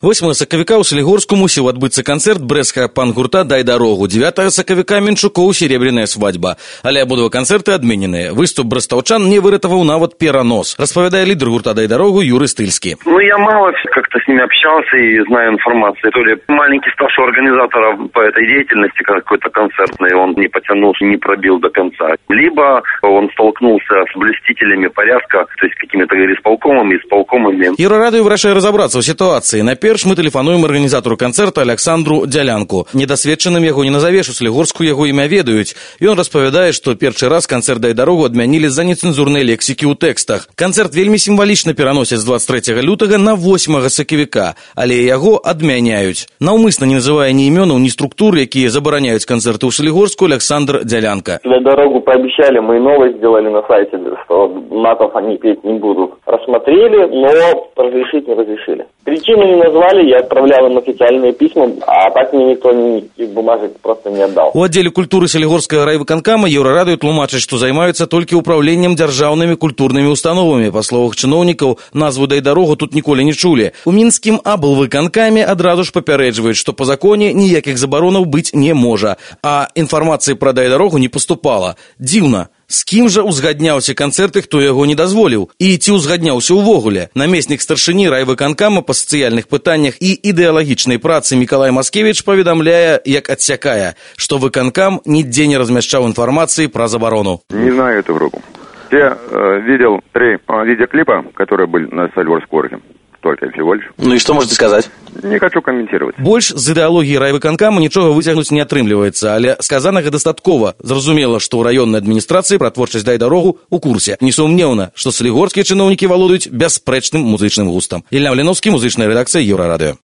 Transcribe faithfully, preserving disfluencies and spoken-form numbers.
восьмага сакавіка ў Салігорску мусіў адбыцца канцэрт брэсцкага панк-гурта «Дай дарогу». дзевятага сакавіка Менчукоў «Серебряная свадьба». Але абодва канцэрты адмененыя. Выступ брэстаўчан не выратаваў нават перанос. Распавядае лідар гурта «Дай дарогу» Юрий Стыльский. Ну, я мало как-то с ними общался и знаю информацию. То ли маленький старший организатор по этой деятельности какой-то концертный, он не потянул, не пробил до конца. Либо он столкнулся с блюстителями порядка, то есть какими-то исполкомами, исполкомами. Еўрарадыё вырашае разобраться в ситуации. Перш мы тэлефануем арганізатару канцэрта Александру Дзялянку. Недасведчаным яго не назавеш, у Салігорску яго імя ведаюць. Ён распавядае, што першы раз канцэрт «Дай дарогу» адмянілі з-за нецэнзурнай лексікі ў тэкстах. Канцэрт вельмі сімвалічна пераносяць з дваццаць трэцяга лютага на восьмага сакавіка, але яго адмяняюць. Наўмысна не называе ні імёнаў, ні структур, якія забараняюць канцэрты ў Салігорску, Александр Дзялянка. «Дай дорогу» пообещали, мы новость сделали на сайте, что матов они петь не будут. Рассмотрели, но разрешить не разрешили. Причину не назвали, я отправлял им официальные письма, а так мне никто никаких бумажек просто не отдал. У аддзеле культуры Салігорскага райвыканкама Еўрарадыё тлумачаць, што займаюцца толькі ўпраўленнем дзяржаўнымі культурнымі установамі. Па словах чыноўнікаў, назву «Дай дарогу» тут ніколі не чулі. У мінскім аблвыканкаме адразу ж папярэджваюць, што па законе ніякіх забаронаў быць не можа. А інфармацыі пра «Дай дарогу» не паступала. Дзіўна. З кім жа узгадняўся канцэрт і хто яго не дазволіў? І ці ўзгадняўся ўвогуле? Намеснік старшыні райвыканкама па сацыяльных пытаннях і ідэалагічнай працы Мікалай Маскевіч паведамляе, як адсякае, што выканкам нідзе не размяшчаў інфармацыі пра забарону. Не знаю эту группу. Я э, видел три э, видеоклипа, которые были на Салігорском. Только всего лишь. Ну и что можете сказать? Не хочу комментировать. Больш з ідэалогіі райвыканкама нічога выцягнуць не атрымліваецца, але сказанага дастаткова. Зразумела, што ў раённай адміністрацыі пра творчасць «Дай дарогу» у курсе. Несумнеўна, што салігорскія чыноўнікі валодаюць бясспрэчным музычным густам. Ілья Маліновскі, музычная рэдакцыя Еўрарадыё.